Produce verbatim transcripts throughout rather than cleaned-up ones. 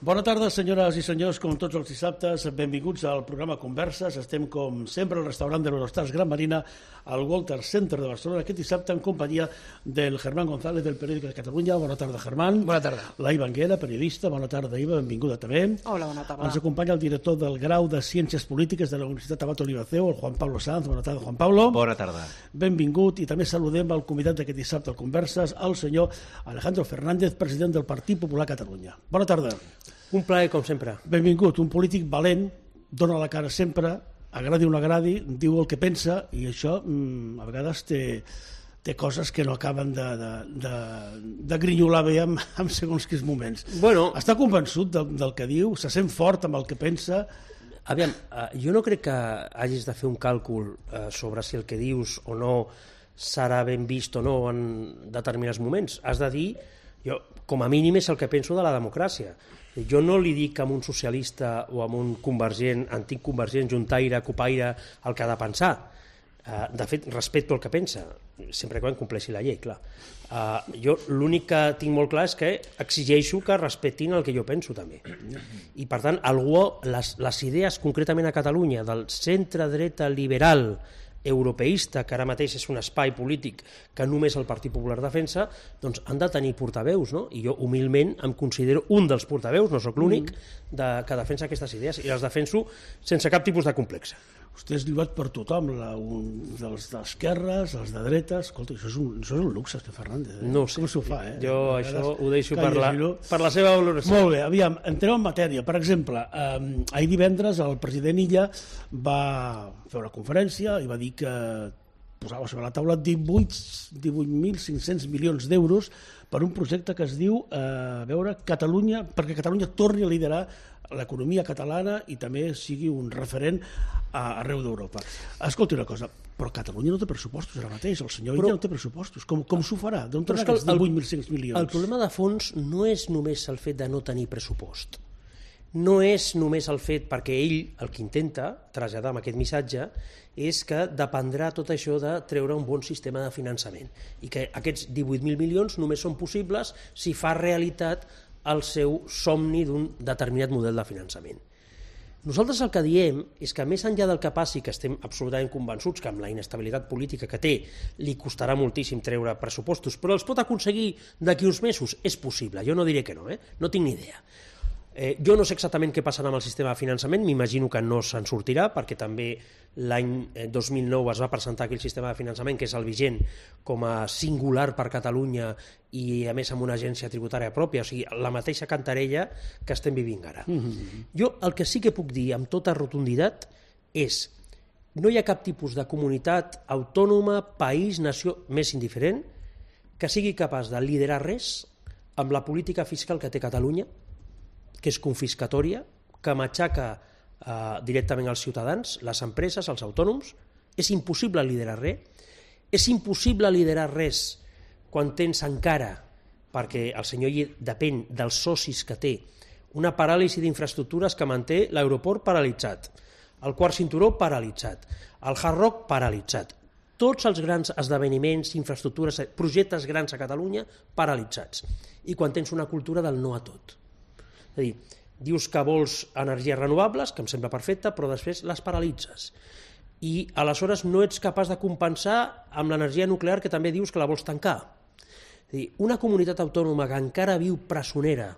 Bona tarda, senyores i senyors, com tots els dissabtes, benvinguts al programa Converses. Estem, com sempre, al restaurant de l'Eurostars Gran Marina, al Walter Center de Barcelona, aquest dissabte en companyia del Germán González, del Periódico de Catalunya. Bona tarda, Germán. Bona tarda. La Iva Anguera, periodista. Bona tarda, Iva, benvinguda també. Hola, bona tarda. Ens acompanya el director del Grau de Ciències Polítiques de la Universitat Abat Olivaceu, el Juan Pablo Sanz. Bona tarda, Juan Pablo. Bona tarda. Benvingut, i també saludem al convidat d'aquest dissabte al Converses, el senyor Alejandro Fernández, president del Partit Popular Catalunya. Bona tarda. Un plaer, com sempre. Benvingut, un polític valent, dona la cara sempre, agradi o no agradi, diu el que pensa, i això mmm, a vegades té, té coses que no acaben de, de, de, de grinyolar bé en, en segons quins moments. Bueno, Està convençut del, del que diu, se sent fort amb el que pensa. Aviam, jo no crec que hagis de fer un càlcul sobre si el que dius o no serà ben vist o no en determinats moments. Has de dir, jo, com a mínim és el que penso de la democràcia. Jo no li dic a un socialista o a un convergent, antic convergent, juntaire, copaire, el que ha de pensar. De fet, respecto el que pensa, sempre que compleixi la llei, clar. Jo l'únic que tinc molt clar és que exigeixo que respectin el que jo penso també. I per tant, algú, les, les idees concretament a Catalunya del centre-dreta liberal europeista, que ara mateix és un espai polític que només el Partit Popular defensa, doncs han de tenir portaveus, no? I jo humilment em considero un dels portaveus, no sóc l'únic, de, que defensa aquestes idees, i les defenso sense cap tipus de complex. Vostè és lluat per tothom, la, un, dels d'esquerres, els de dretes. Escolta, això és un, això és un luxe, que Fernández. Eh? No sé. Com s'ho fa, eh? Jo això ho deixo per la, per la seva valoració. Molt bé, aviam, entrem en matèria. Per exemple, eh, ahir divendres el president Illa va fer una conferència i va dir que posava sobre la taula divuit mil cinc-cents milions d'euros per un projecte que es diu eh, a veure, Catalunya, perquè Catalunya torni a liderar l'economia catalana i també sigui un referent a, arreu d'Europa. Escolti una cosa, però Catalunya no té pressupostos ara mateix, el senyor Illa no té pressupostos. Com, com s'ho farà? D'on tenen aquests divuit mil cinc-cents milions? El problema de fons no és només el fet de no tenir pressupost. No és només el fet, perquè ell el que intenta traslladar amb aquest missatge és que dependrà tot això de treure un bon sistema de finançament i que aquests divuit mil milions només són possibles si fa realitat el seu somni d'un determinat model de finançament. Nosaltres el que diem és que més enllà del que passi, que estem absolutament convençuts que amb la inestabilitat política que té li costarà moltíssim treure pressupostos, però els pot aconseguir d'aquí uns mesos, és possible, jo no diré que no, eh? No tinc ni idea. Eh, jo no sé exactament què passarà amb el sistema de finançament, m'imagino que no se'n sortirà, perquè també l'any dos mil nou es va presentar aquell sistema de finançament, que és el vigent, com a singular per Catalunya i a més amb una agència tributària pròpia, o sigui, la mateixa cantarella que estem vivint ara. Mm-hmm. Jo el que sí que puc dir amb tota rotunditat és no hi ha cap tipus de comunitat autònoma, país, nació més indiferent que sigui capaç de liderar res amb la política fiscal que té Catalunya, que és confiscatòria, que matxaca eh, directament als ciutadans, les empreses, els autònoms. És impossible liderar res. És impossible liderar res quan tens encara, perquè el senyor Illa depèn dels socis que té, una paràlisi d'infraestructures que manté l'aeroport paralitzat, el quart cinturó paralitzat, el Hard Rock paralitzat, tots els grans esdeveniments, infraestructures, projectes grans a Catalunya paralitzats. I quan tens una cultura del no a tot. És a dir, dius que vols energies renovables, que em sembla perfecte, però després les paralitzes. I aleshores no ets capaç de compensar amb l'energia nuclear que també dius que la vols tancar. És a dir, una comunitat autònoma que encara viu presonera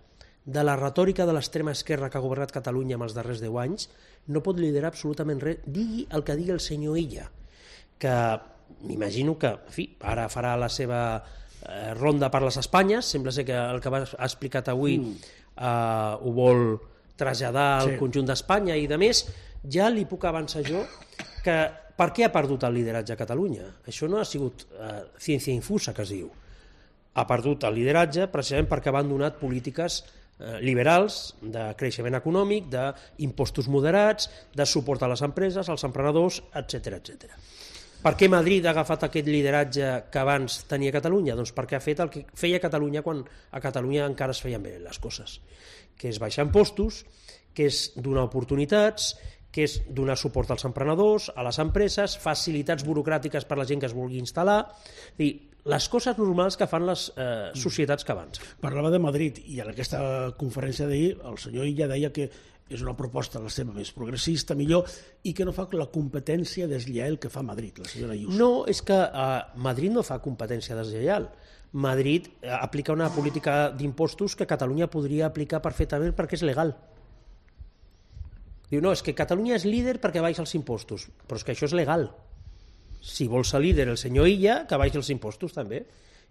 de la retòrica de l'extrema esquerra que ha governat Catalunya en els darrers deu anys no pot liderar absolutament res, digui el que digui el senyor Illa, que m'imagino que, en fi, ara farà la seva eh, ronda per les Espanyes, sembla ser que el que ha explicat avui mm. Uh, ho vol traslladar al sí. conjunt d'Espanya i de més, ja li puc avançar jo que per què ha perdut el lideratge a Catalunya? Això no ha sigut uh, ciència infusa, que es diu. Ha perdut el lideratge precisament perquè ha abandonat polítiques uh, liberals de creixement econòmic, d'impostos moderats, de suport a les empreses, als emprenedors, etcètera, etcètera. Per què Madrid ha agafat aquest lideratge que abans tenia Catalunya? Doncs perquè ha fet el que feia Catalunya quan a Catalunya encara es feien bé les coses, que és baixar impostos, que és donar oportunitats, que és donar suport als emprenedors, a les empreses, facilitats burocràtiques per a la gent que es vulgui instal·lar. És a dir, les coses normals que fan les eh, societats que avancen. Parlava de Madrid i en aquesta conferència d'ahir el senyor Illa deia que és una proposta la seva més progressista, millor, i que no fa la competència deslleial que fa Madrid, la senyora Ayuso. No, és que eh, Madrid no fa competència deslleial. Madrid eh, aplica una política d'impostos que Catalunya podria aplicar perfectament perquè és legal. Diu, no, és que Catalunya és líder perquè baixa els impostos, però és que això és legal. Si vol ser líder el senyor Illa, que baixi els impostos també,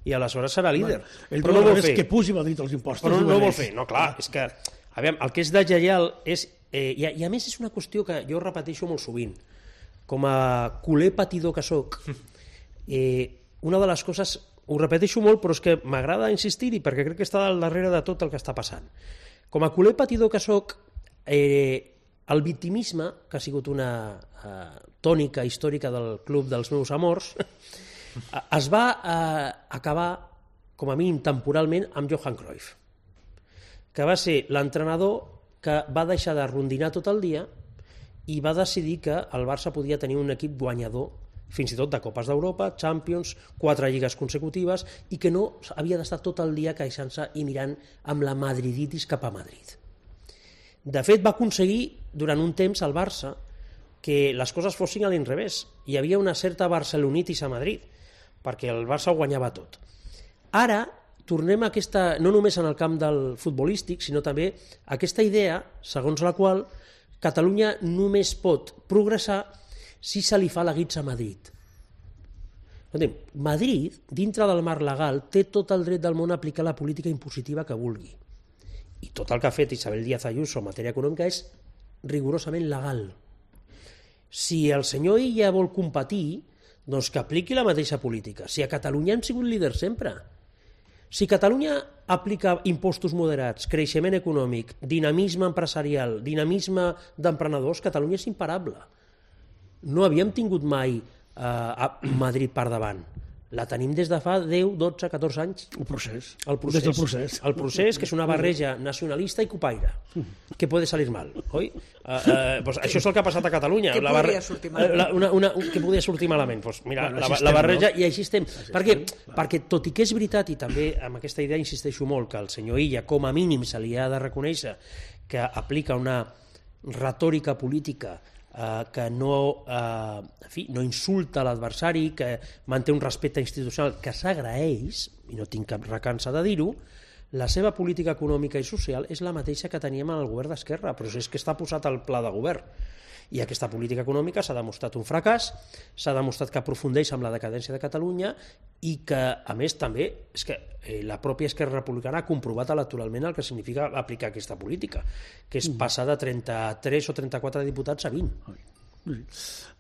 i aleshores serà líder. Bueno, ell però no vol fer. Que pugi Madrid els impostos. Però no, no vol fer, no, clar, és que, a veure, el que és deslleial és, eh, i, a, i a més és una qüestió que jo repeteixo molt sovint, com a culer patidor que soc, eh, una de les coses, ho repeteixo molt, però és que m'agrada insistir-hi, perquè crec que està al darrere de tot el que està passant. Com a culer patidor que soc, eh, el victimisme, que ha sigut una eh, tònica històrica del club dels meus amors, es va eh, acabar, com a mínim temporalment, amb Johan Cruyff, que va ser l'entrenador que va deixar de rondinar tot el dia i va decidir que el Barça podia tenir un equip guanyador, fins i tot de Copes d'Europa, Champions, quatre lligues consecutives, i que no havia d'estar tot el dia queixant-se i mirant amb la madriditis cap a Madrid. De fet, va aconseguir durant un temps al Barça que les coses fossin a l'inrevés. Hi havia una certa barcelonitis a Madrid, perquè el Barça ho guanyava tot. Ara tornem a aquesta, no només en el camp del futbolístic, sinó també a aquesta idea, segons la qual Catalunya només pot progressar si se li fa la guitza a Madrid. Madrid, dintre del marc legal, té tot el dret del món a aplicar la política impositiva que vulgui. I tot el que ha fet Isabel Díaz Ayuso en matèria econòmica és rigorosament legal. Si el senyor Illa vol competir, doncs que apliqui la mateixa política. Si a Catalunya hem sigut líders sempre. Si Catalunya aplica impostos moderats, creixement econòmic, dinamisme empresarial, dinamisme d'emprenedors, Catalunya és imparable. No havíem tingut mai eh, a Madrid per davant. La tenim des de fa deu, dotze, catorze anys. El procés. El procés. Des del procés. El procés, que és una barreja nacionalista i copaire, que pot salir mal, oi? Uh, uh, pues això és el que ha passat a Catalunya. Que la podria sortir malament. La, una, una, que podria sortir malament. Pues mira, bueno, la, estem, la barreja, no? I així estem. Així perquè, estem, perquè, tot i que és veritat, i també amb aquesta idea insisteixo molt, que el senyor Illa, com a mínim, se li ha de reconèixer que aplica una retòrica política Uh, que no, uh, en fi, no insulta l'adversari, que manté un respecte institucional que s'agraeix, i no tinc cap recança de dir-ho, la seva política econòmica i social és la mateixa que teníem en el govern d'Esquerra, però és que està posat al pla de govern. I aquesta política econòmica s'ha demostrat un fracàs, s'ha demostrat que aprofundeix amb la decadència de Catalunya i que, a més, també és que eh, la pròpia Esquerra Republicana ha comprovat electoralment el que significa aplicar aquesta política, que és passar de trenta-tres o trenta-quatre diputats a vint.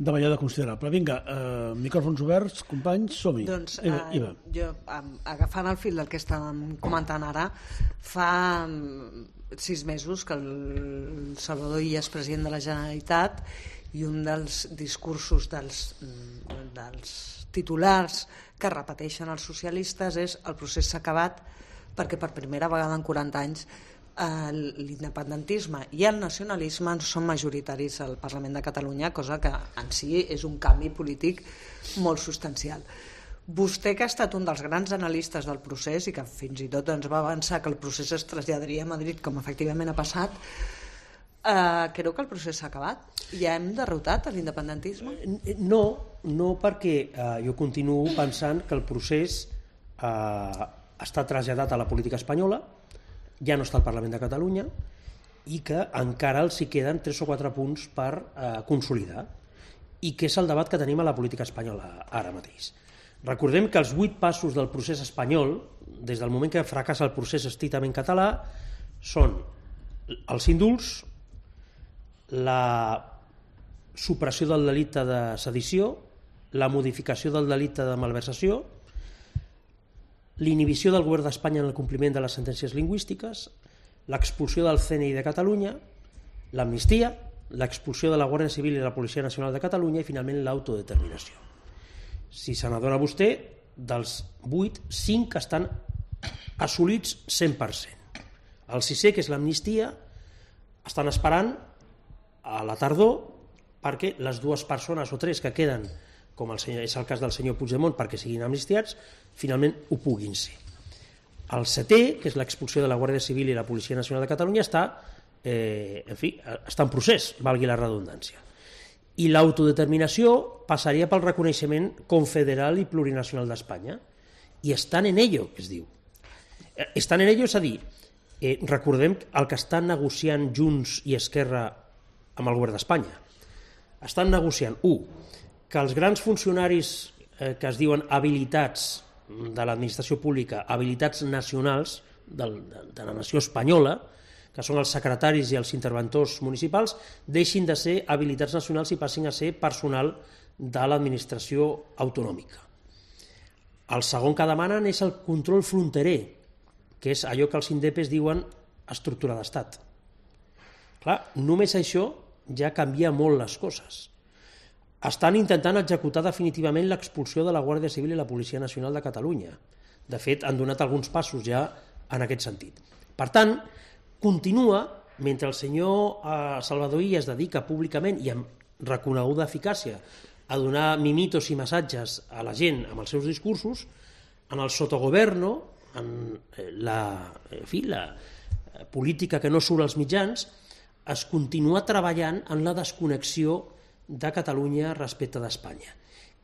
Davallada considerable. Vinga, eh, micròfons oberts, companys, som-hi. Doncs eh, eh, jo, agafant el fil del que estàvem comentant ara, fa sis mesos que el Salvador Illa és president de la Generalitat i un dels discursos dels, dels titulars que repeteixen els socialistes és el procés s'ha acabat perquè per primera vegada en quaranta anys l'independentisme i el nacionalisme són majoritaris al Parlament de Catalunya, cosa que en si és un canvi polític molt substancial. Vostè, que ha estat un dels grans analistes del procés i que fins i tot ens va avançar que el procés es traslladaria a Madrid, com efectivament ha passat, eh, creu que el procés s'ha acabat? Ja hem derrotat l'independentisme? No, no, perquè eh, jo continuo pensant que el procés eh, està traslladat a la política espanyola, ja no està al Parlament de Catalunya i que encara els hi queden tres o quatre punts per eh, consolidar, i que és el debat que tenim a la política espanyola ara mateix. Recordem que els vuit passos del procés espanyol, des del moment que fracassa el procés estrictament català, són els indults, la supressió del delicte de sedició, la modificació del delicte de malversació, l'inhibició del govern d'Espanya en el compliment de les sentències lingüístiques, l'expulsió del C N I de Catalunya, l'amnistia, l'expulsió de la Guàrdia Civil i la Policia Nacional de Catalunya i finalment l'autodeterminació. Si se n'adona vostè, dels vuit, cinc estan assolits cent per cent. El sisè, que és l'amnistia, estan esperant a la tardor perquè les dues persones o tres que queden com el senyor, és el cas del senyor Puigdemont, perquè siguin amnistiats, finalment ho puguin ser. El setè, que és l'expulsió de la Guàrdia Civil i la Policia Nacional de Catalunya, està, eh, en fi, està en procés, valgui la redundància. I l'autodeterminació passaria pel reconeixement confederal i plurinacional d'Espanya. I estan en ello, que es diu. Estan en ello, és a dir, eh, recordem el que estan negociant Junts i Esquerra amb el govern d'Espanya. Estan negociant, u, que els grans funcionaris eh, que es diuen habilitats de l'administració pública, habilitats nacionals de, de, de la nació espanyola, que són els secretaris i els interventors municipals, deixin de ser habilitats nacionals i passin a ser personal de l'administració autonòmica. El segon que demanen és el control fronterer, que és allò que els indepes diuen estructura d'estat. Clar, només això ja canvia molt les coses. Estan intentant executar definitivament l'expulsió de la Guàrdia Civil i la Policia Nacional de Catalunya. De fet, han donat alguns passos ja en aquest sentit. Per tant, continua, mentre el senyor eh, Salvador Illa es dedica públicament i amb reconeguda eficàcia a donar mimitos i massatges a la gent amb els seus discursos, en el sotogoverno, en la, en fi, la política que no surt als mitjans, es continua treballant en la desconnexió de Catalunya respecte d'Espanya,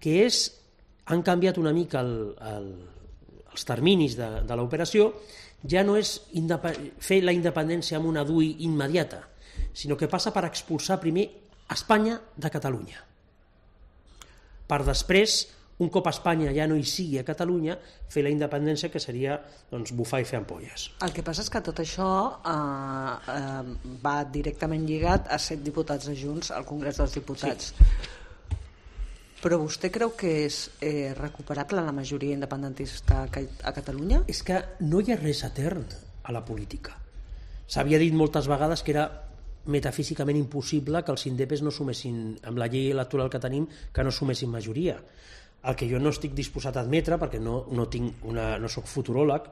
que és, han canviat una mica el, el, els terminis de, de l'operació, ja no és fer la independència amb una D U I immediata, sinó que passa per expulsar primer Espanya de Catalunya. Per després, un cop Espanya ja no hi sigui a Catalunya, fer la independència, que seria doncs, bufar i fer ampolles. El que passa és que tot això eh, eh, va directament lligat a set diputats de Junts al Congrés dels Diputats. Sí. Però vostè creu que és eh, recuperable la majoria independentista a Catalunya? És que no hi ha res etern a la política. S'havia dit moltes vegades que era metafísicament impossible que els indepes no sumessin, amb la llei electoral que tenim, que no sumessin majoria. El que jo no estic disposat a admetre, perquè no, no, tinc una, no soc futuròleg,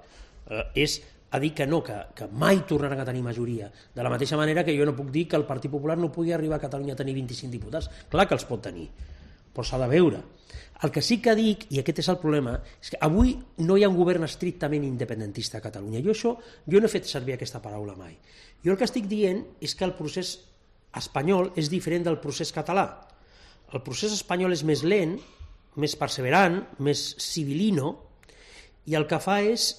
eh, és a dir que no, que, que mai tornaran a tenir majoria. De la mateixa manera que jo no puc dir que el Partit Popular no pugui arribar a Catalunya a tenir vint-i-cinc diputats. Clar que els pot tenir, però s'ha de veure. El que sí que dic, i aquest és el problema, és que avui no hi ha un govern estrictament independentista a Catalunya. Jo això, jo no he fet servir aquesta paraula mai. Jo el que estic dient és que el procés espanyol és diferent del procés català. El procés espanyol és més lent, més perseverant, més civilino, i el que fa és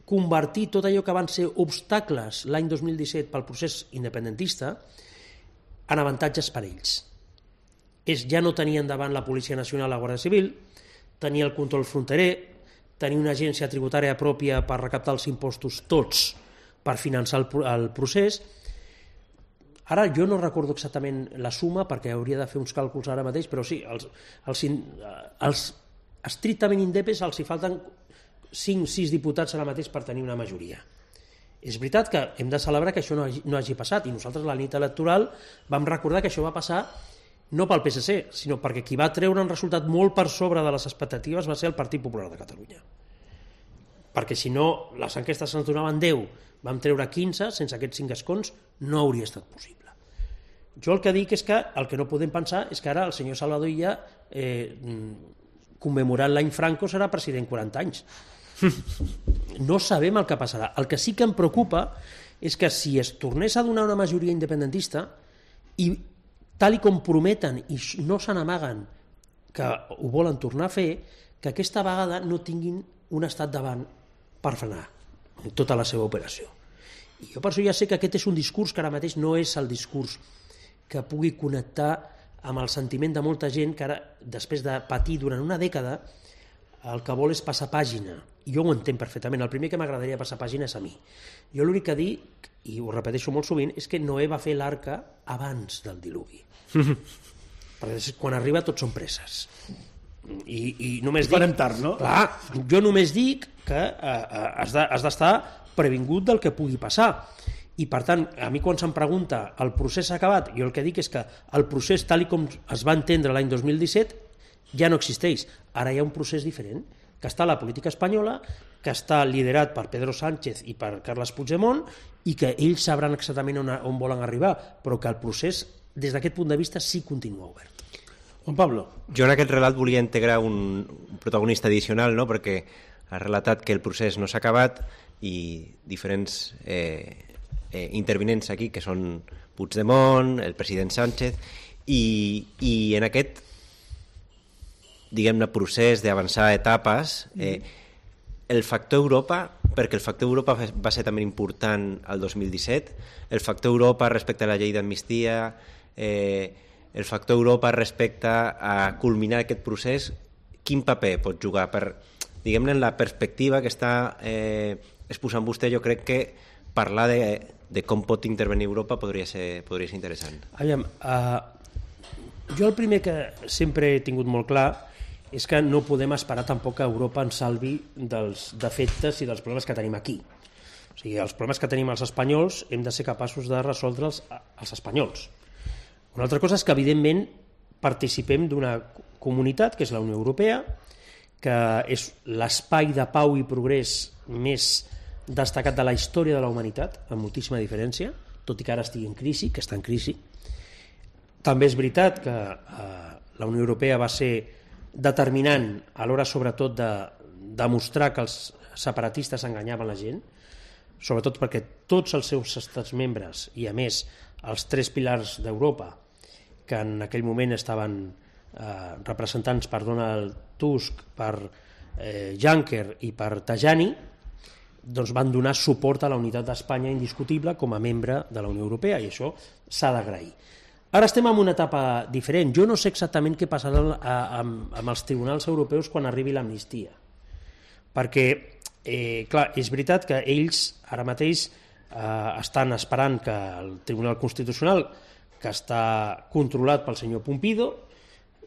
convertir tot allò que van ser obstacles l'any dos mil disset pel procés independentista en avantatges per ells. És ja no tenir endavant la Policia Nacional, la Guàrdia Civil, tenir el control fronterer, tenir una agència tributària pròpia per recaptar els impostos tots per finançar el, el procés. Ara jo no recordo exactament la suma perquè hauria de fer uns càlculs ara mateix, però sí, els, els, els estrictament indepes els hi falten cinc sis diputats ara mateix per tenir una majoria. És veritat que hem de celebrar que això no hagi, no hagi passat, i nosaltres la nit electoral vam recordar que això va passar no pel P S C, sinó perquè qui va treure un resultat molt per sobre de les expectatives va ser el Partit Popular de Catalunya. Perquè si no, les enquestes ens donaven deu, vam treure quinze, sense aquests cinc escons no hauria estat possible. Jo el que dic és que el que no podem pensar és que ara el senyor Salvador Illa, eh, commemorant l'any Franco, serà president quaranta anys. No sabem el que passarà. El que sí que em preocupa és que si es tornés a donar una majoria independentista i tal i com prometen i no se n'amaguen que ho volen tornar a fer, que aquesta vegada no tinguin un estat davant per frenar tota la seva operació. I jo per això ja sé que aquest és un discurs que ara mateix no és el discurs que pugui connectar amb el sentiment de molta gent que ara, després de patir durant una dècada, el que vol és passar pàgina. Jo ho entenc perfectament. El primer que m'agradaria passar pàgina és a mi. Jo l'únic que dic, i ho repeteixo molt sovint, és que Noé va fer l'arca abans del diluvi. Perquè quan arriba tots són presses. I, i només dic... Farem tard, no? Clar, jo només dic que eh, has de, has d'estar previngut del que pugui passar. I per tant, a mi quan se'm pregunta el procés s'ha acabat, jo el que dic és que el procés tal i com es va entendre l'any dos mil disset ja no existeix. Ara hi ha un procés diferent, que està a la política espanyola, que està liderat per Pedro Sánchez i per Carles Puigdemont, i que ells sabran exactament on, on volen arribar, però que el procés, des d'aquest punt de vista, sí continua obert. Juan Pablo. Jo en aquest relat volia integrar un, un protagonista addicional, no? Perquè ha relatat que el procés no s'ha acabat i diferents eh, eh, intervinents aquí, que són Puigdemont, el president Sánchez, i, i en aquest, diguem-ne, procés d'avançar etapes, eh, el factor Europa, perquè el factor Europa va ser també important el dos mil disset, el factor Europa respecte a la llei d'amnistia, eh, el factor Europa respecte a culminar aquest procés, quin paper pot jugar? Per, diguem-ne, en la perspectiva que està eh, exposant vostè, jo crec que parlar de, de com pot intervenir Europa podria ser, podria ser interessant. Aviam, uh, jo el primer que sempre he tingut molt clar és que no podem esperar tampoc que Europa ens salvi dels defectes i dels problemes que tenim aquí. O sigui, els problemes que tenim els espanyols hem de ser capaços de resoldre'ls els espanyols. Una altra cosa és que, evidentment, participem d'una comunitat, que és la Unió Europea, que és l'espai de pau i progrés més destacat de la història de la humanitat, amb moltíssima diferència, tot i que ara estigui en crisi, que està en crisi. També és veritat que eh, la Unió Europea va ser determinant a l'hora, sobretot, de demostrar que els separatistes enganyaven la gent, sobretot perquè tots els seus estats membres, i a més els tres pilars d'Europa, que en aquell moment estaven eh, representats per Donald Tusk, per eh, Juncker i per Tajani, doncs van donar suport a la unitat d'Espanya indiscutible com a membre de la Unió Europea, i això s'ha d'agrair. Ara estem en una etapa diferent. Jo no sé exactament què passarà amb, amb els tribunals europeus quan arribi l'amnistia, perquè eh, clar, és veritat que ells ara mateix eh, estan esperant que el Tribunal Constitucional, que està controlat pel senyor Pumpido,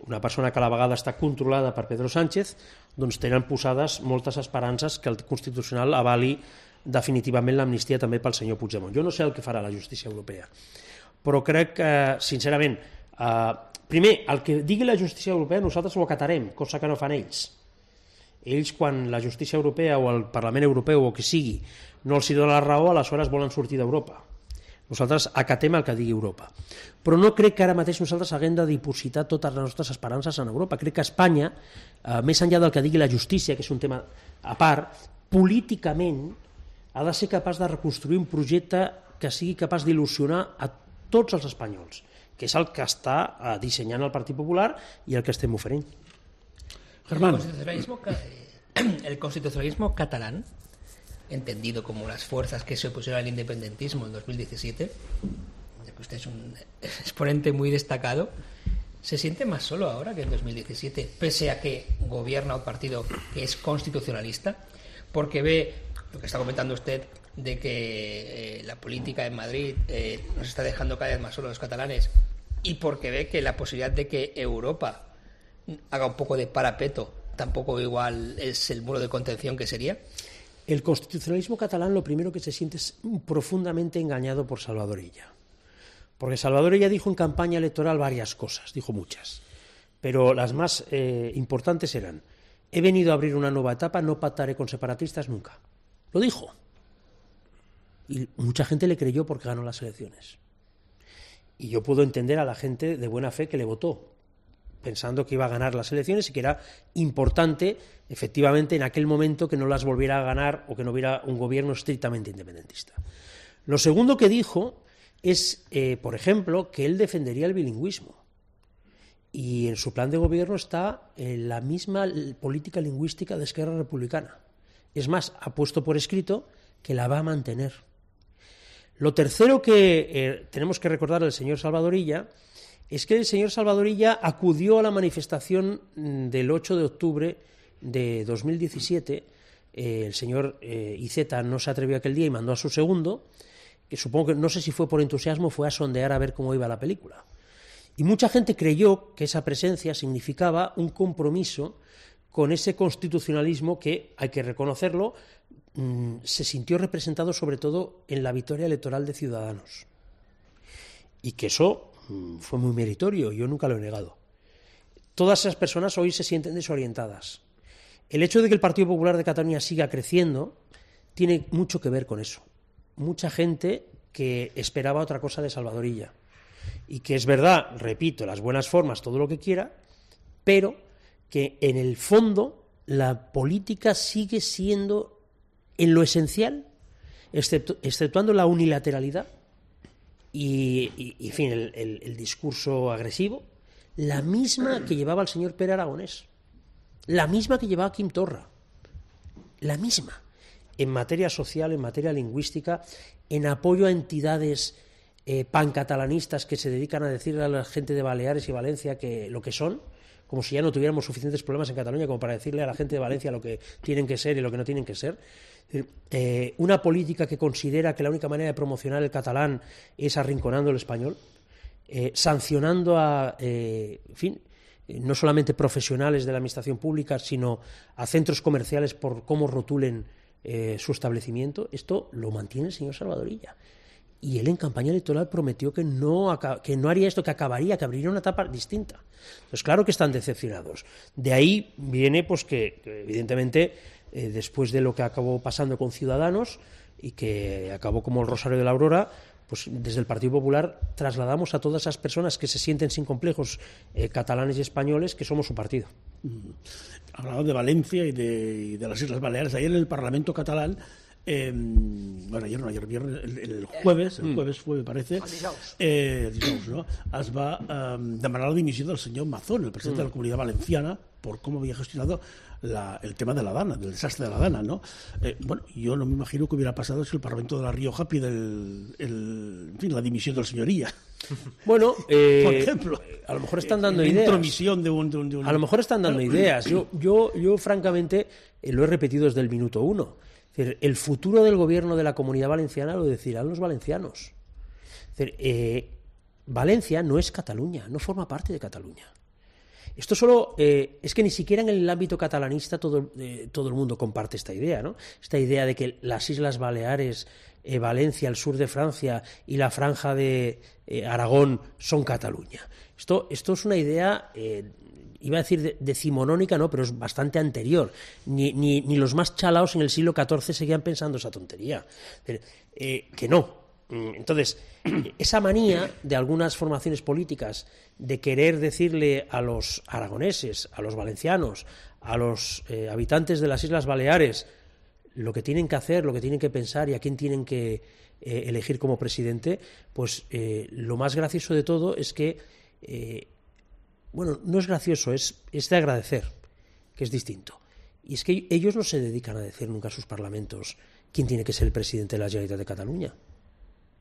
una persona que a la vegada està controlada per Pedro Sánchez, doncs tenen posades moltes esperances que el Constitucional avali definitivament l'amnistia també pel senyor Puigdemont. Jo no sé el que farà la justícia europea, però crec que, sincerament, eh, primer, el que digui la justícia europea nosaltres ho acatarem, cosa que no fan ells. Ells, quan la justícia europea o el Parlament Europeu o qui sigui no els dona la raó, aleshores volen sortir d'Europa. Nosaltres acatem el que digui Europa. Però no crec que ara mateix nosaltres haguem de dipositar totes les nostres esperances en Europa. Crec que Espanya, eh, més enllà del que digui la justícia, que és un tema a part, políticament ha de ser capaç de reconstruir un projecte que sigui capaç d'il·lusionar a tots els espanyols, que és el que està eh, dissenyant el Partit Popular i el que estem oferint. Germán. El constitucionalismo, el constitucionalismo catalán, entendido como las fuerzas que se opusieron al independentismo en dos mil diecisiete, ya que usted es un exponente muy destacado, ¿se siente más solo ahora que en dos mil diecisiete, pese a que gobierna un partido que es constitucionalista? Porque ve lo que está comentando usted de que eh, la política en Madrid eh, nos está dejando cada vez más solos los catalanes, y porque ve que la posibilidad de que Europa haga un poco de parapeto tampoco igual es el muro de contención que sería. El constitucionalismo catalán, lo primero que se siente es profundamente engañado por Salvador Illa, porque Salvador Illa dijo en campaña electoral varias cosas, dijo muchas, pero las más eh, importantes eran: he venido a abrir una nueva etapa, no pactaré con separatistas nunca. Lo dijo. Y mucha gente le creyó porque ganó las elecciones. Y yo puedo entender a la gente de buena fe que le votó, pensando que iba a ganar las elecciones y que era importante, efectivamente, en aquel momento que no las volviera a ganar o que no hubiera un gobierno estrictamente independentista. Lo segundo que dijo es, eh, por ejemplo, que él defendería el bilingüismo. Y en su plan de gobierno está eh, la misma política lingüística de Esquerra Republicana. Es más, ha puesto por escrito que la va a mantener. Lo tercero que eh, tenemos que recordar al señor Salvador Illa es que el señor Salvador Illa acudió a la manifestación del ocho de octubre de dos mil diecisiete. Eh, el señor eh, Iceta no se atrevió aquel día y mandó a su segundo, que supongo que, no sé si fue por entusiasmo, fue a sondear a ver cómo iba la película. Y mucha gente creyó que esa presencia significaba un compromiso con ese constitucionalismo que, hay que reconocerlo, mmm, se sintió representado sobre todo en la victoria electoral de Ciudadanos. Y que eso mmm, fue muy meritorio, yo nunca lo he negado. Todas esas personas hoy se sienten desorientadas. El hecho de que el Partido Popular de Cataluña siga creciendo tiene mucho que ver con eso. Mucha gente que esperaba otra cosa de Salvador Illa. Y que es verdad, repito, las buenas formas, todo lo que quiera, pero que en el fondo la política sigue siendo en lo esencial, excepto, exceptuando la unilateralidad y, y, y en fin, el, el, el discurso agresivo, la misma que llevaba el señor Pere Aragonés, la misma que llevaba Quim Torra, la misma, en materia social, en materia lingüística, en apoyo a entidades eh, pancatalanistas que se dedican a decirle a la gente de Baleares y Valencia que lo que son, como si ya no tuviéramos suficientes problemas en Cataluña como para decirle a la gente de Valencia lo que tienen que ser y lo que no tienen que ser. Es decir, eh, una política que considera que la única manera de promocionar el catalán es arrinconando el español, eh, sancionando a, eh, en fin, no solamente profesionales de la administración pública, sino a centros comerciales por cómo rotulen eh, su establecimiento. Esto lo mantiene el señor Salvadorilla. Y él en campaña electoral prometió que no, que no haría esto, que acabaría, que abriría una etapa distinta. Entonces, claro que están decepcionados. De ahí viene pues que, que evidentemente, eh, después de lo que acabó pasando con Ciudadanos y que acabó como el Rosario de la Aurora, pues desde el Partido Popular trasladamos a todas esas personas que se sienten sin complejos, eh, catalanes y españoles, que somos su partido. Hablando de Valencia y de, y de las Islas Baleares, ayer en el Parlamento catalán, Eh, bueno, ayer no, ayer viernes, el, el jueves, el jueves fue, me parece, eh, dijous, no? es va eh, demanar la dimisión del señor Mazón, el presidente mm. de la Comunidad Valenciana, por cómo había gestionado la, el tema de la Dana, del desastre de la Dana, ¿no? Eh, bueno, yo no me imagino que hubiera pasado si el Parlamento de La Rioja pide el, el, en fin, la dimisión del señoría. Bueno, eh, por ejemplo, a lo mejor están dando la ideas. Intromisión de un, de un, de un... A lo mejor están dando ideas. Yo, yo, yo francamente, eh, lo he repetido desde el minuto uno. Es decir, el futuro del gobierno de la Comunidad Valenciana lo decidirán los valencianos. Es decir, eh, Valencia no es Cataluña, no forma parte de Cataluña. Esto solo eh, es que ni siquiera en el ámbito catalanista todo, eh, todo el mundo comparte esta idea, ¿no? Esta idea de que las Islas Baleares, eh, Valencia, el sur de Francia y la franja de eh, Aragón son Cataluña. Esto, esto es una idea... Eh, iba a decir decimonónica, no, pero es bastante anterior. Ni, ni, ni los más chalaos en el siglo catorce seguían pensando esa tontería. Eh, que no. Entonces, esa manía de algunas formaciones políticas de querer decirle a los aragoneses, a los valencianos, a los eh, habitantes de las Islas Baleares lo que tienen que hacer, lo que tienen que pensar y a quién tienen que eh, elegir como presidente, pues eh, lo más gracioso de todo es que eh, bueno, no es gracioso, es, es de agradecer, que es distinto. Y es que ellos no se dedican a decir nunca a sus parlamentos quién tiene que ser el presidente de la Generalitat de Cataluña.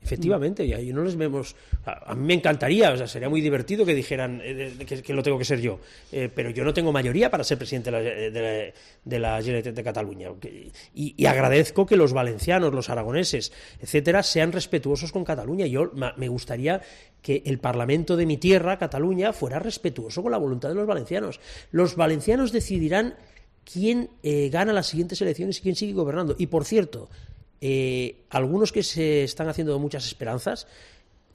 Efectivamente, y ahí no les vemos... A, a mí me encantaría, o sea, sería muy divertido que dijeran eh, que, que lo tengo que ser yo, eh, pero yo no tengo mayoría para ser presidente de la, de la, de la Generalitat de Cataluña. Y, y agradezco que los valencianos, los aragoneses, etcétera, sean respetuosos con Cataluña. Yo me gustaría que el Parlamento de mi tierra, Cataluña, fuera respetuoso con la voluntad de los valencianos. Los valencianos decidirán quién eh, gana las siguientes elecciones y quién sigue gobernando. Y, por cierto... Eh, algunos que se están haciendo muchas esperanzas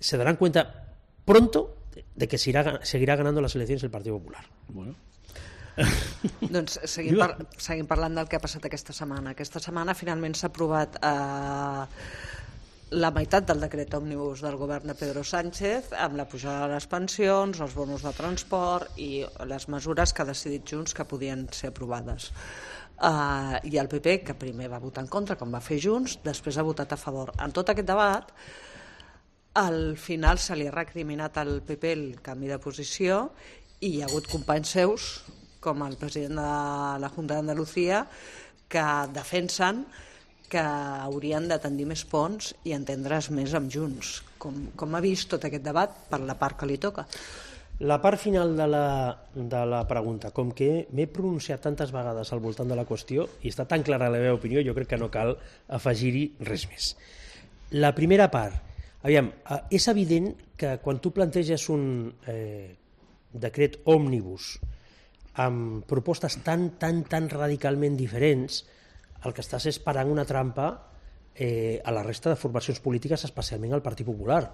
se darán cuenta pronto de que seguirá, seguirá ganando las eleccions el Partit Popular. Bueno. Doncs seguim, par seguim parlant del que ha passat aquesta setmana. Aquesta setmana finalment s'ha aprovat eh, la meitat del decret òmnibus del govern de Pedro Sánchez amb la pujada de les pensions, els bonus de transport i les mesures que ha decidit Junts que podien ser aprovades. Uh, i el P P, que primer va votar en contra com va fer Junts, després ha votat a favor. En tot aquest debat al final se li ha recriminat al P P el canvi de posició i hi ha hagut companys seus com el president de la Junta d'Andalucía que defensen que haurien de tendir més ponts i entendre's més amb Junts. Com, com ha vist tot aquest debat per la part que li toca? La part final de la, de la pregunta, com que m'he pronunciat tantes vegades al voltant de la qüestió i està tan clara la meva opinió, jo crec que no cal afegir-hi res més. La primera part, aviam, és evident que quan tu planteges un eh, decret òmnibus amb propostes tan, tan, tan radicalment diferents, el que estàs és parant una trampa eh, a la resta de formacions polítiques, especialment al Partit Popular.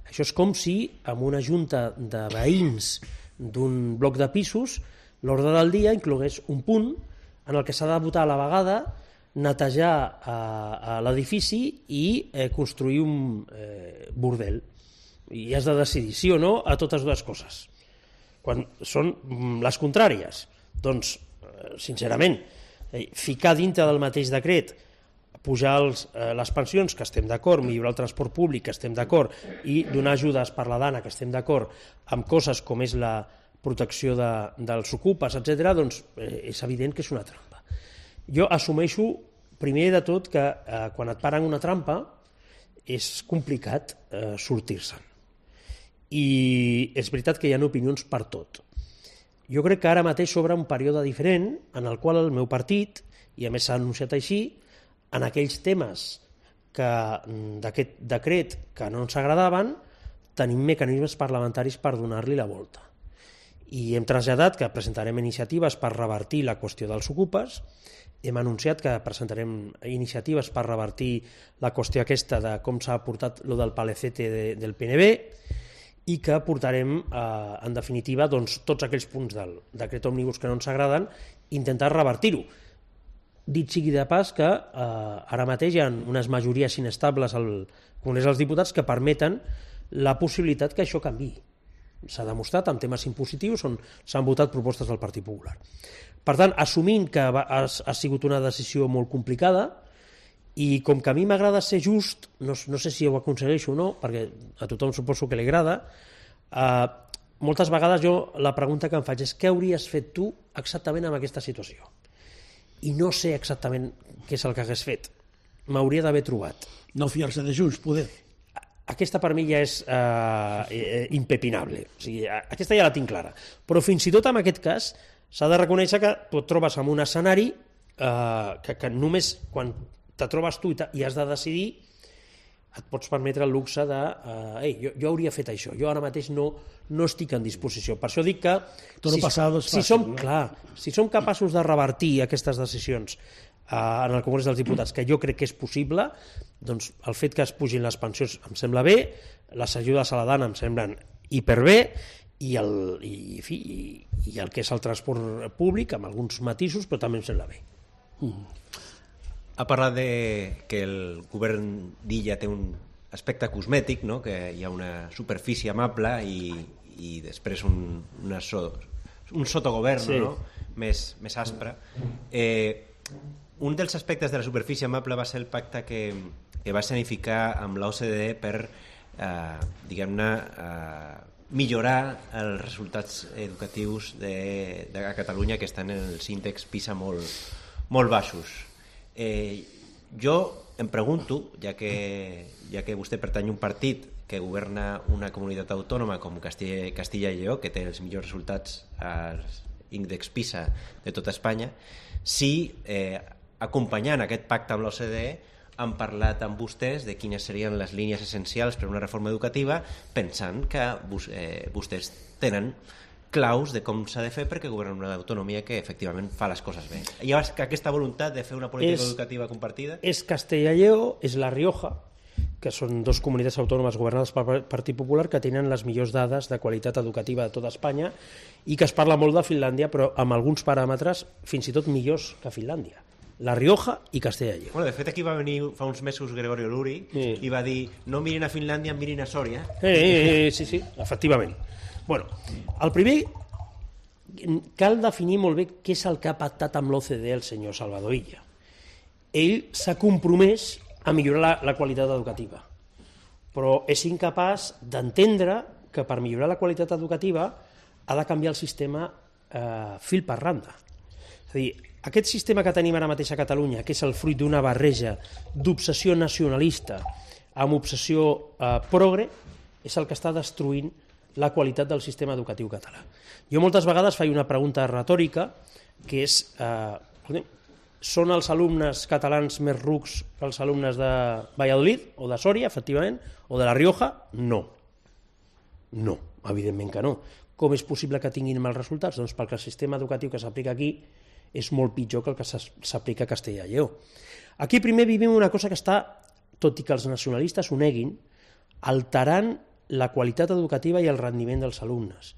Això és com si, amb una junta de veïns d'un bloc de pisos, l'ordre del dia inclogués un punt en el que s'ha de votar a la vegada, netejar a, a l'edifici i eh, construir un eh, bordel. I has de decidir sí o no a totes dues coses. quan són les contràries. Doncs, sincerament, ficar dintre del mateix decret, pujar els, eh, les pensions, que estem d'acord, millorar el transport públic, que estem d'acord, i donar ajudes per la dana, que estem d'acord, amb coses com és la protecció de, dels ocupes, etcètera, doncs eh, és evident que és una trampa. Jo assumeixo, primer de tot, que eh, quan et paren una trampa és complicat eh, sortir-se'n. I és veritat que hi ha opinions per tot. Jo crec que ara mateix s'obre un període diferent en el qual el meu partit, i a més s'ha anunciat així, en aquells temes d'aquest decret que no ens agradaven, tenim mecanismes parlamentaris per donar-li la volta. I hem traslladat que presentarem iniciatives per revertir la qüestió dels ocupes, hem anunciat que presentarem iniciatives per revertir la qüestió aquesta de com s'ha portat lo del palecete de, del P N B, i que portarem, eh, en definitiva, doncs, tots aquells punts del decret òmnibus que no ens agraden, intentar revertir-ho. Dit sigui de pas que eh, ara mateix hi ha unes majories inestables al Congrés dels Diputats que permeten la possibilitat que això canviï. S'ha demostrat en temes impositius on s'han votat propostes del Partit Popular. Per tant, assumint que ha, ha sigut una decisió molt complicada, i com que a mi m'agrada ser just, no, no sé si ho aconsegueixo o no, perquè a tothom suposo que li agrada, eh, moltes vegades jo la pregunta que em faig és què hauries fet tu exactament en aquesta situació? I no sé exactament què és el que hagués fet. M'hauria d'haver trobat. No fiar-se de Junts, poder. Aquesta per mi ja és eh, impepinable. O sigui, aquesta ja la tinc clara. Però fins i tot en aquest cas s'ha de reconèixer que tu et trobes en un escenari eh, que, que només quan te trobes tu i has de decidir et pots permetre el luxe de eh, ei, jo, jo hauria fet això, jo ara mateix no, no estic en disposició. Per això dic que si, fàcil, si, som, no? clar, si som capaços de revertir aquestes decisions eh, en el Congrés dels Diputats, que jo crec que és possible, doncs el fet que es pugin les pensions em sembla bé, les ajudes a la dana em semblen hiperbé, i el, i, fi, i, i el que és el transport públic amb alguns matisos, però també em sembla bé. Mm. Ha parlat de que el govern d'Illa té un aspecte cosmètic, no? Que hi ha una superfície amable i, i després un, una so, un sotogovern, sí, no? més, més aspre. Eh, un dels aspectes de la superfície amable va ser el pacte que, que va escenificar amb l'O C D E per eh, diguem-ne eh, millorar els resultats educatius de, de Catalunya, que estan en els índexs PISA molt, molt baixos. Eh, jo em pregunto, ja que, ja que vostè pertany a un partit que governa una comunitat autònoma com Castilla, Castilla i Lleó, que té els millors resultats als índexs PISA de tota Espanya, si eh, acompanyant aquest pacte amb l'O C D E han parlat amb vostès de quines serien les línies essencials per a una reforma educativa, pensant que eh, vostès tenen claus de com s'ha de fer perquè governa una autonomia que efectivament fa les coses bé. Hi ha aquesta voluntat de fer una política és, educativa compartida? És Castella i Lleó, és La Rioja, que són dues comunitats autònomes governades pel Partit Popular que tenen les millors dades de qualitat educativa de tota Espanya i que es parla molt de Finlàndia, però amb alguns paràmetres fins i tot millors que Finlàndia. La Rioja i Castella i Lleó. Bueno, de fet, aquí va venir fa uns mesos Gregorio Luri sí. i va dir no mirin a Finlàndia, mirin a Sòria. Eh, eh, eh, sí, sí, efectivament. Bueno, el primer, cal definir molt bé què és el que ha pactat amb l'O C D E el senyor Salvador Illa. Ell s'ha compromès a millorar la, la qualitat educativa, però és incapaç d'entendre que per millorar la qualitat educativa ha de canviar el sistema eh, fil per randa. És a dir, aquest sistema que tenim ara mateix a Catalunya, que és el fruit d'una barreja d'obsessió nacionalista amb obsessió eh, progre, és el que està destruint la qualitat del sistema educatiu català. Jo moltes vegades faig una pregunta retòrica, que és, eh, són els alumnes catalans més rucs que els alumnes de Valladolid o de Sòria, efectivament, o de La Rioja? No. No, evidentment que no. Com és possible que tinguin mals resultats? Doncs perquè el sistema educatiu que s'aplica aquí és molt pitjor que el que s'aplica a Castella i Lleó. Aquí primer vivim una cosa que està, tot i que els nacionalistes ho neguin, alterant la qualitat educativa i el rendiment dels alumnes,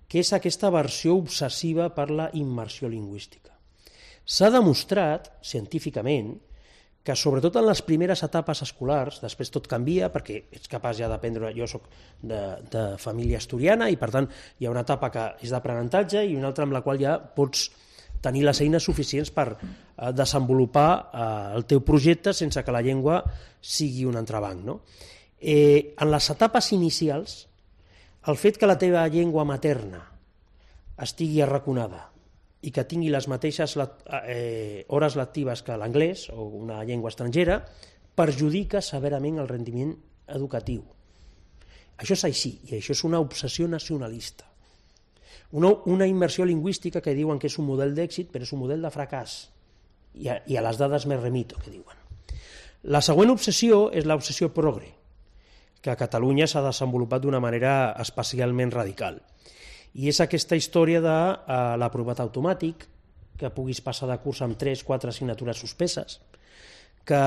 que és aquesta versió obsessiva per la immersió lingüística. S'ha demostrat, científicament, que sobretot en les primeres etapes escolars, després tot canvia perquè ets capaç ja d'aprendre, jo soc de, de família asturiana i per tant hi ha una etapa que és d'aprenentatge i una altra amb la qual ja pots tenir les eines suficients per eh, desenvolupar eh, el teu projecte sense que la llengua sigui un entrebanc. No? Eh, en les etapes inicials, el fet que la teva llengua materna estigui arraconada i que tingui les mateixes eh, hores lectives que l'anglès o una llengua estrangera, perjudica severament el rendiment educatiu. Això és així, i això és una obsessió nacionalista. Una, una immersió lingüística que diuen que és un model d'èxit, però és un model de fracàs. I a, i a les dades me remito, que diuen. La següent obsessió és l'obsessió progre, que a Catalunya s'ha desenvolupat d'una manera especialment radical. I és aquesta història de uh, l'aprovat automàtic, que puguis passar de curs amb tres o quatre assignatures suspeses, que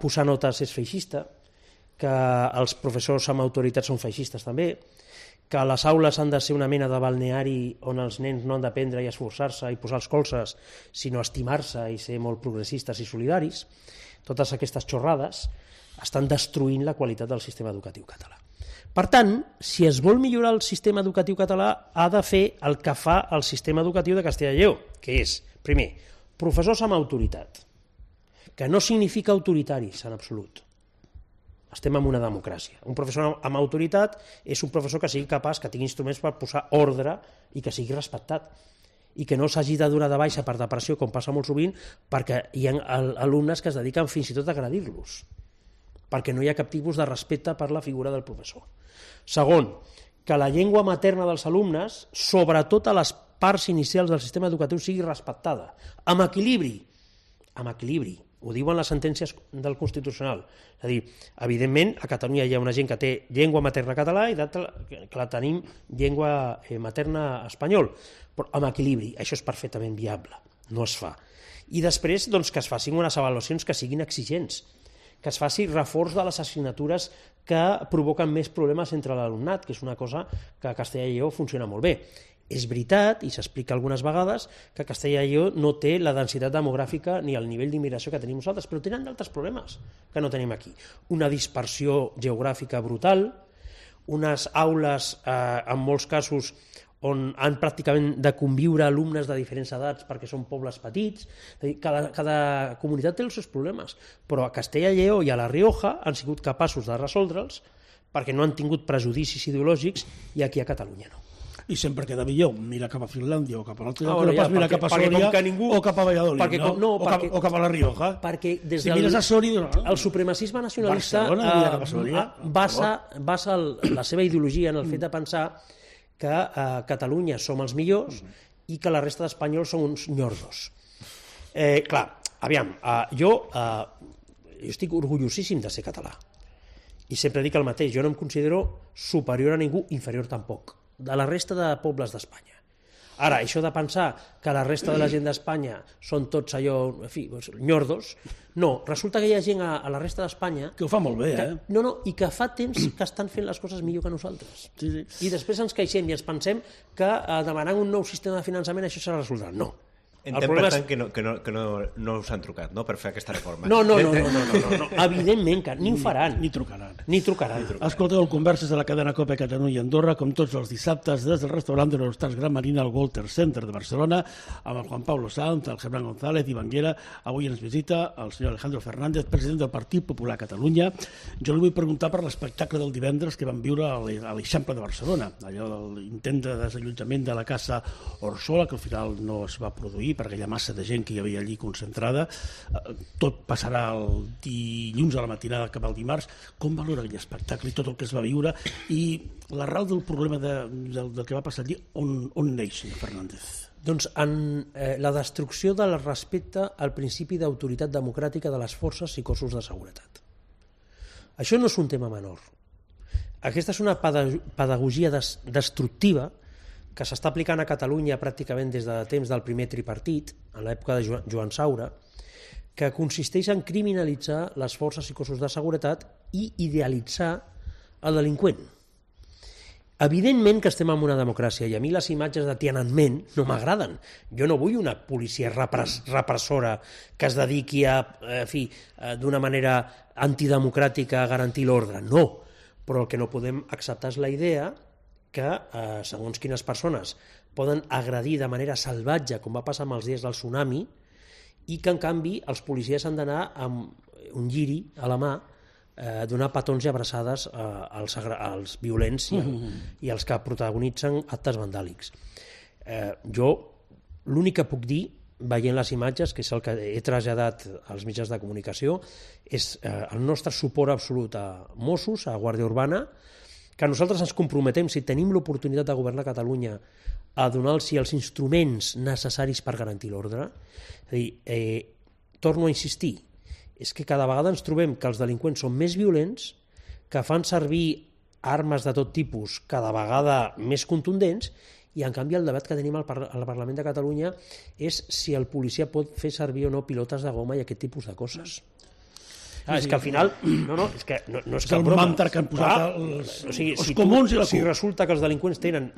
posar notes és feixista, que els professors amb autoritat són feixistes també, que les aules han de ser una mena de balneari on els nens no han d'aprendre i esforçar-se i posar els colzes, sinó estimar-se i ser molt progressistes i solidaris. Totes aquestes xorrades estan destruint la qualitat del sistema educatiu català. Per tant, si es vol millorar el sistema educatiu català, ha de fer el que fa el sistema educatiu de Castella i Lleó, que és, primer, professors amb autoritat, que no significa autoritaris en absolut. Estem en una democràcia. Un professor amb autoritat és un professor que sigui capaç, que tingui instruments per posar ordre i que sigui respectat i que no s'hagi de donar de baixa per depressió, com passa molt sovint, perquè hi ha alumnes que es dediquen fins i tot a agredir-los, perquè no hi ha cap tipus de respecte per la figura del professor. Segon, que la llengua materna dels alumnes, sobretot a les parts inicials del sistema educatiu, sigui respectada, amb equilibri, amb equilibri, ho diuen les sentències del Constitucional. És a dir, evidentment, a Catalunya hi ha una gent que té llengua materna català i d'altra que la tenim llengua materna espanyol, però amb equilibri, això és perfectament viable, no es fa. I després doncs, que es facin unes avaluacions que siguin exigents, que es faci reforç de les assignatures que provoquen més problemes entre l'alumnat, que és una cosa que a Castella i Lleó funciona molt bé. És veritat, i s'explica algunes vegades, que Castella i Lleó no té la densitat demogràfica ni el nivell d'immigració que tenim nosaltres, però tenen d'altres problemes que no tenim aquí. Una dispersió geogràfica brutal, unes aules, eh, en molts casos, on han pràcticament de conviure alumnes de diferents edats perquè són pobles petits. Cada, cada comunitat té els seus problemes, però a Castella i Lleó i a La Rioja han sigut capaços de resoldre'ls perquè no han tingut prejudicis ideològics i aquí a Catalunya no. I sempre queda millor mirar cap a Finlàndia o cap a l'altre lloc, ah, bueno, que no pas ja, mirar perquè, cap a Sòria ningú, o cap a Valladolid, perquè, no? no o, perquè, cap, o cap a La Rioja. Perquè des si del, mires a Sòria... No, el supremacisme nacionalista Barcelona, eh, basa, basa el, la seva ideologia en el fet de pensar que a Catalunya som els millors i que la resta d'espanyols són uns nyordos. Eh, clar, aviam, eh, jo, eh, jo estic orgullosíssim de ser català i sempre dic el mateix, jo no em considero superior a ningú, inferior tampoc, de la resta de pobles d'Espanya. Ara, això de pensar que la resta de la gent d'Espanya són tots allò, en fi, nyordos, no, resulta que hi ha gent a, a la resta d'Espanya... Que ho fa molt bé, que, eh? No, no, i que fa temps que estan fent les coses millor que nosaltres. Sí, sí. I després ens queixem i ens pensem que eh, demanant un nou sistema de finançament això serà resoldrà. No. Entenc, per tant, que, no, que, no, que no, no us han trucat, no?, per fer aquesta reforma. No, no, no, no, no, no, no, no. Evidentment que ni ho faran. Ni, ni trucaran. Ni trucaran. Escolteu el Converses de la cadena COPE Catalunya i Andorra, com tots els dissabtes, des del restaurant de l'Hostal Gran Marina al Walter Center de Barcelona, amb el Juan Pablo Sanz, el Germán González i Banguera. Avui ens visita el senyor Alejandro Fernández, president del Partit Popular Catalunya. Jo li vull preguntar per l'espectacle del divendres que van viure a l'Eixample de Barcelona, allò de l'intent de desallotjament de la Casa Orsola, que al final no es va produir perquè hi ha massa de gent que hi havia allí concentrada. Tot passarà el dilluns a la matinada cap al dimarts. Com valora aquell espectacle i tot el que es va viure i l'arrel del problema de, de, del que va passar allí, on, on neix, senyor Fernández? Doncs en eh, la destrucció del respecte al principi d'autoritat democràtica de les forces i cossos de seguretat. Això no és un tema menor. Aquesta és una pedagogia des, destructiva que s'està aplicant a Catalunya pràcticament des de temps del primer tripartit, en l'època de Joan Saura, que consisteix en criminalitzar les forces i cossos de seguretat i idealitzar el delinqüent. Evidentment que estem en una democràcia i a mi les imatges de Tiananmen no m'agraden. Jo no vull una policia repres repressora que es dediqui a, en fi, d'una manera antidemocràtica a garantir l'ordre. No, però el que no podem acceptar és la idea que eh, segons quines persones poden agredir de manera salvatge, com va passar amb els dies del tsunami, i que en canvi els policies han d'anar amb un lliri a la mà eh, donar petons i abraçades eh, als, als violents i, mm. i als que protagonitzen actes vandàlics. Eh, jo l'únic que puc dir, veient les imatges, que és el que he traslladat als mitjans de comunicació, és eh, el nostre suport absolut a Mossos, a Guàrdia Urbana, que nosaltres ens comprometem, si tenim l'oportunitat de governar Catalunya, a donar-los els instruments necessaris per garantir l'ordre. És a dir, eh, torno a insistir, és que cada vegada ens trobem que els delinqüents són més violents, que fan servir armes de tot tipus cada vegada més contundents, i en canvi el debat que tenim al, Par al Parlament de Catalunya és si el policia pot fer servir o no pilotes de goma i aquest tipus de coses. Ah, és que al final, no, no, és que no, no és, és el broma. mantra que han posat ah, els, o sigui, els si comuns tu, i la si C U P. resulta que els delinqüents tenen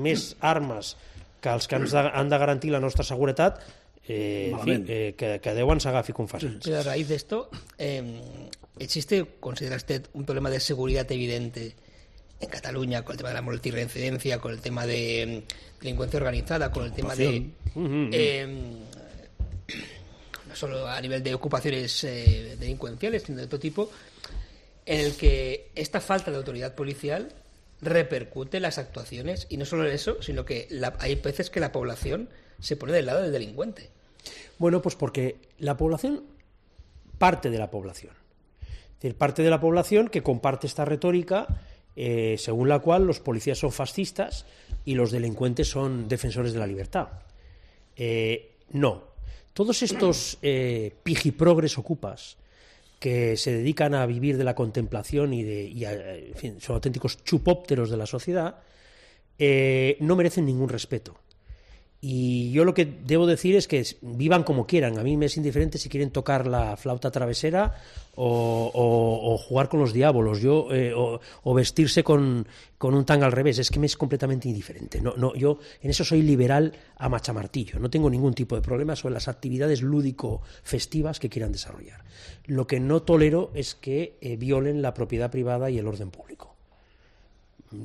més armes que els que ens de, han de garantir la nostra seguretat, eh, en fi, eh, que, que Déu ens agafi com facin. Pero a raíz de esto, eh, ¿existe, considera usted, un problema de seguridad evidente en Cataluña con el tema de la multirreincidencia, con el tema de delincuencia organizada, con el tema de... Eh, no solo a nivel de ocupaciones eh, delincuenciales, sino de todo tipo, en el que esta falta de autoridad policial repercute en las actuaciones, y no solo en eso, sino que la, hay veces que la población se pone del lado del delincuente? Bueno, pues porque la población, parte de la población, es decir, parte de la población que comparte esta retórica eh, según la cual los policías son fascistas y los delincuentes son defensores de la libertad. Eh, no. Todos estos eh, pijiprogres ocupas que se dedican a vivir de la contemplación y, de, y a, en fin, son auténticos chupópteros de la sociedad, eh, no merecen ningún respeto. Y yo lo que debo decir es que vivan como quieran. A mí me es indiferente si quieren tocar la flauta travesera o, o, o jugar con los diablos, yo, eh, o, o vestirse con, con un tanga al revés. Es que me es completamente indiferente. No, no, yo en eso soy liberal a machamartillo. No tengo ningún tipo de problema sobre las actividades lúdico-festivas que quieran desarrollar. Lo que no tolero es que eh, violen la propiedad privada y el orden público.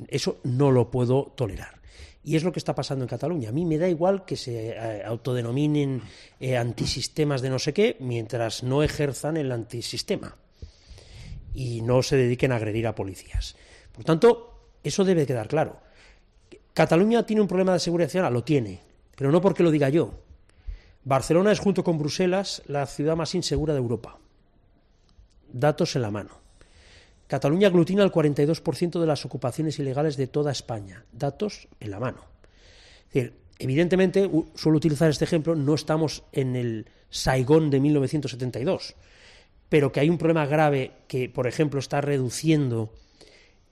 Eso no lo puedo tolerar. Y es lo que está pasando en Cataluña. A mí me da igual que se eh, autodenominen eh, antisistemas de no sé qué, mientras no ejerzan el antisistema y no se dediquen a agredir a policías. Por tanto, eso debe quedar claro. ¿Cataluña tiene un problema de seguridad ciudadana? Lo tiene, pero no porque lo diga yo. Barcelona es, junto con Bruselas, la ciudad más insegura de Europa. Datos en la mano. Cataluña aglutina el cuarenta y dos por ciento de las ocupaciones ilegales de toda España. Datos en la mano. Es decir, evidentemente, suelo utilizar este ejemplo, no estamos en el Saigón de mil novecientos setenta y dos, pero que hay un problema grave que, por ejemplo, está reduciendo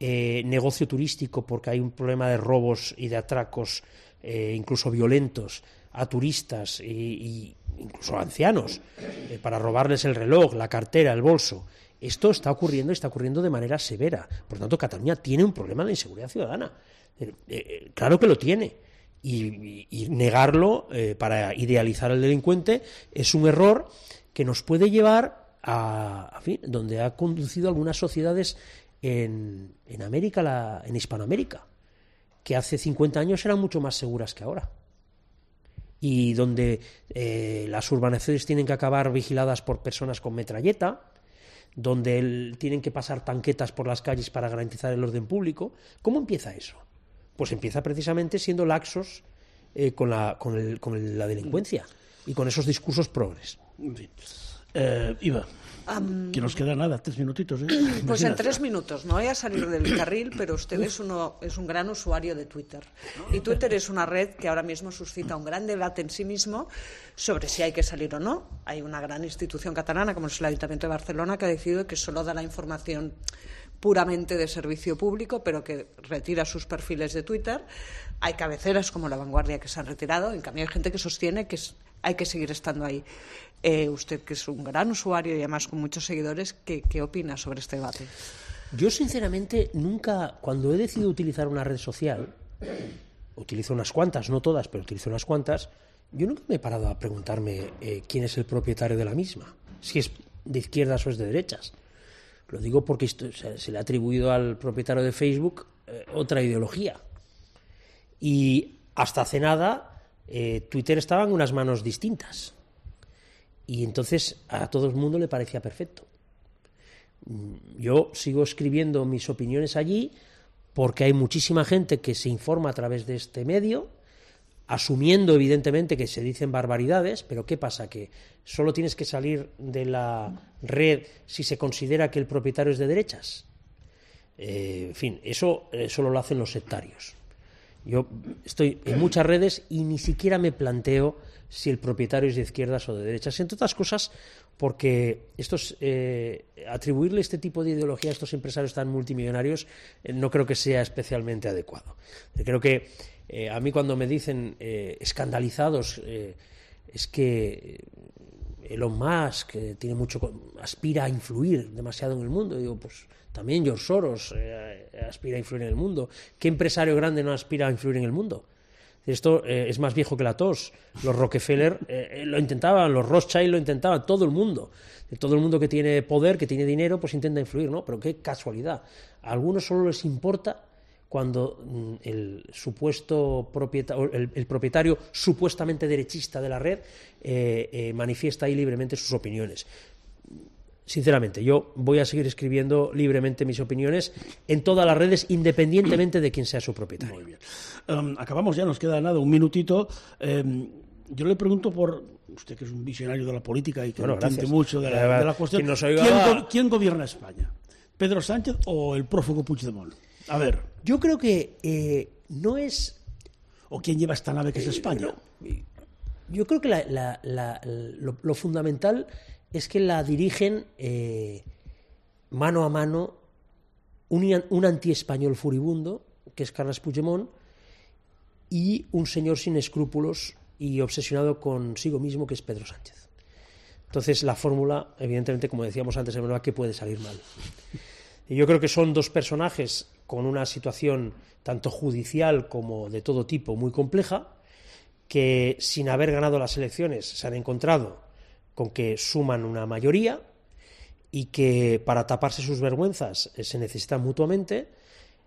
eh, negocio turístico porque hay un problema de robos y de atracos, eh, incluso violentos, a turistas e, y incluso a ancianos, eh, para robarles el reloj, la cartera, el bolso. Esto está ocurriendo y está ocurriendo de manera severa. Por tanto, Cataluña tiene un problema de inseguridad ciudadana. Eh, eh, claro que lo tiene. Y, y, y negarlo eh, para idealizar al delincuente es un error que nos puede llevar a, a fin, donde ha conducido algunas sociedades en, en América, la, en Hispanoamérica, que hace cincuenta años eran mucho más seguras que ahora. Y donde eh, las urbanizaciones tienen que acabar vigiladas por personas con metralleta, donde el, tienen que pasar tanquetas por las calles para garantizar el orden público. ¿Cómo empieza eso? Pues empieza precisamente siendo laxos eh, con, la, con, el, con el, la delincuencia y con esos discursos progres. En fin. Eh, Iva, um, que nos queda nada, tres minutitos. ¿eh? Pues en tres minutos, no voy a salir del carril, pero usted es, uno, es un gran usuario de Twitter. Y Twitter es una red que ahora mismo suscita un gran debate en sí mismo sobre si hay que salir o no. Hay una gran institución catalana, como es el Ayuntamiento de Barcelona, que ha decidido que solo da la información puramente de servicio público, pero que retira sus perfiles de Twitter. Hay cabeceras como La Vanguardia que se han retirado, en cambio hay gente que sostiene que es, hay que seguir estando ahí. Eh, usted, que es un gran usuario y además con muchos seguidores, ¿qué, qué opina sobre este debate? Yo, sinceramente, nunca, cuando he decidido utilizar una red social, utilizo unas cuantas, no todas, pero utilizo unas cuantas, yo nunca me he parado a preguntarme eh, quién es el propietario de la misma, si es de izquierdas o es de derechas. Lo digo porque esto, o sea, se le ha atribuido al propietario de Facebook eh, otra ideología. Y hasta hace nada, eh, Twitter estaba en unas manos distintas. Y entonces a todo el mundo le parecía perfecto. Yo sigo escribiendo mis opiniones allí porque hay muchísima gente que se informa a través de este medio, asumiendo evidentemente que se dicen barbaridades, pero ¿qué pasa? Que solo tienes que salir de la red si se considera que el propietario es de derechas. Eh, en fin, eso eh, solo lo hacen los sectarios. Yo estoy en muchas redes y ni siquiera me planteo si el propietario es de izquierdas o de derechas, entre otras cosas porque estos, eh, atribuirle este tipo de ideología a estos empresarios tan multimillonarios eh, no creo que sea especialmente adecuado. Creo que eh, a mí cuando me dicen eh, escandalizados eh, es que Elon Musk eh, tiene mucho, aspira a influir demasiado en el mundo, digo, pues también George Soros eh, aspira a influir en el mundo. ¿Qué empresario grande no aspira a influir en el mundo? Esto eh, es más viejo que la tos. Los Rockefeller eh, lo intentaban, los Rothschild lo intentaban, todo el mundo. Todo el mundo que tiene poder, que tiene dinero, pues intenta influir, ¿no? Pero qué casualidad. A algunos solo les importa cuando mm, el supuesto propietario, el, el propietario supuestamente derechista de la red eh, eh, manifiesta ahí libremente sus opiniones. Sinceramente, yo voy a seguir escribiendo libremente mis opiniones en todas las redes, independientemente de quién sea su propietario. Muy bien. Um, acabamos ya, nos queda nada, un minutito. Um, yo le pregunto por usted, que es un visionario de la política y que bueno, entiende gracias. mucho de la, de la cuestión. ¿Quién, ¿Quién, go ¿Quién gobierna España? ¿Pedro Sánchez o el prófugo Puigdemont? A ver. Yo creo que eh, no es... ¿O quién lleva esta nave que es España? Eh, yo creo que la, la, la, lo, lo fundamental es que la dirigen eh, mano a mano un, un antiespañol furibundo, que es Carles Puigdemont, y un señor sin escrúpulos y obsesionado consigo mismo, que es Pedro Sánchez. Entonces, la fórmula, evidentemente, como decíamos antes, es que puede salir mal. Y yo creo que son dos personajes con una situación tanto judicial como de todo tipo muy compleja, que sin haber ganado las elecciones se han encontrado con que suman una mayoría y que para taparse sus vergüenzas eh, se necesitan mutuamente,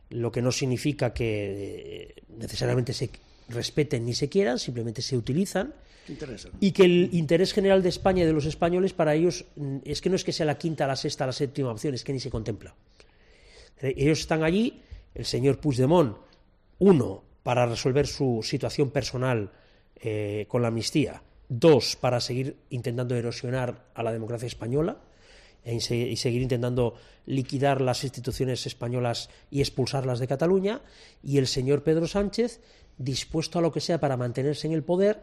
lo que no significa que eh, necesariamente se respeten ni se quieran, simplemente se utilizan, y que el interés general de España y de los españoles para ellos es que no es que sea la quinta, la sexta, la séptima opción, es que ni se contempla. Ellos están allí, el señor Puigdemont, uno, para resolver su situación personal eh, con la amnistía, dos, para seguir intentando erosionar a la democracia española e y seguir intentando liquidar las instituciones españolas y expulsarlas de Cataluña, y el señor Pedro Sánchez dispuesto a lo que sea para mantenerse en el poder,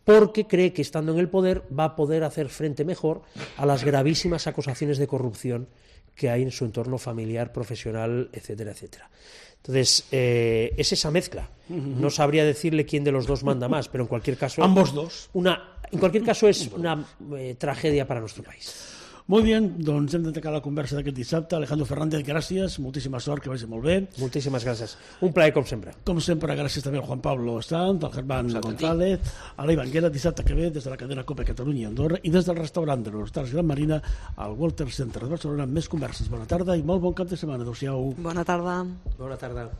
porque cree que estando en el poder va a poder hacer frente mejor a las gravísimas acusaciones de corrupción que hay en su entorno familiar, profesional, etcétera, etcétera. Entonces, eh, es esa mezcla. No sabría decirle quién de los dos manda más, pero en cualquier caso... Ambos dos. Una, en cualquier caso es una eh, tragedia para nuestro país. Molt bé, doncs hem de tancar la conversa d'aquest dissabte. Alejandro Fernández, gràcies, moltíssima sort, que vagi molt bé. Moltíssimes gràcies. Un plaer, com sempre. Com sempre, gràcies també al Juan Pablo Estanz, al Germán González, a la Ivanguera, dissabte que ve, des de la cadena Copa Catalunya i Andorra, i des del restaurant de l'Hostals Gran Marina, al Walter Center de Barcelona, amb més converses. Bona tarda i molt bon cap de setmana. Adéu-siau. Bona tarda. Bona tarda.